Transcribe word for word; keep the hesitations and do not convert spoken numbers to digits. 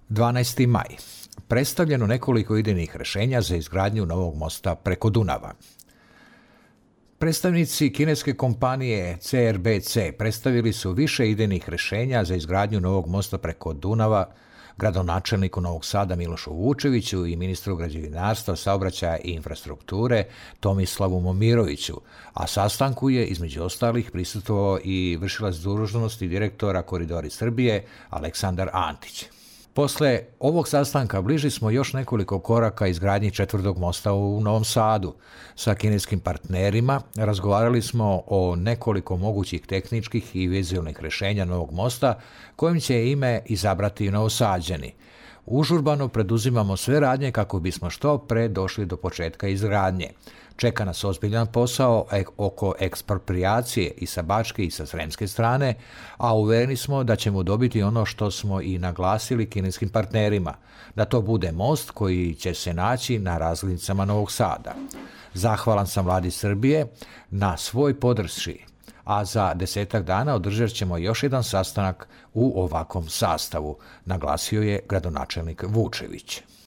dvanaesti maj. Predstavljeno nekoliko idejnih rešenja za izgradnju novog mosta preko Dunava. Predstavnici kineske kompanije C R B C predstavili su više idejnih rešenja za izgradnju novog mosta preko Dunava gradonačelniku Novog Sada Milošu Vučeviću i ministru građevinarstva, saobraćaja i infrastrukture Tomislavu Momiroviću, a sastanku je između ostalih prisustvovao i vršilac dužnosti direktora Koridori Srbije Aleksandar Antić. Posle ovog sastanka bliži smo još nekoliko koraka izgradnji četvrtog mosta u Novom Sadu. Sa kineskim partnerima razgovarali smo o nekoliko mogućih tehničkih i vizualnih rešenja novog mosta kojim će ime izabrati Novosađani. Užurbano preduzimamo sve radnje kako bismo što pre došli do početka izgradnje. Čeka nas ozbiljan posao oko eksproprijacije i sa bačke i sa sremske strane, a uvereni smo da ćemo dobiti ono što smo i naglasili kineskim partnerima, da to bude most koji će se naći na razglednicama Novog Sada. Zahvalan sam vladi Srbije na svoj podršci, a za desetak dana održat ćemo još jedan sastanak u ovakvom sastavu, naglasio je gradonačelnik Vučević.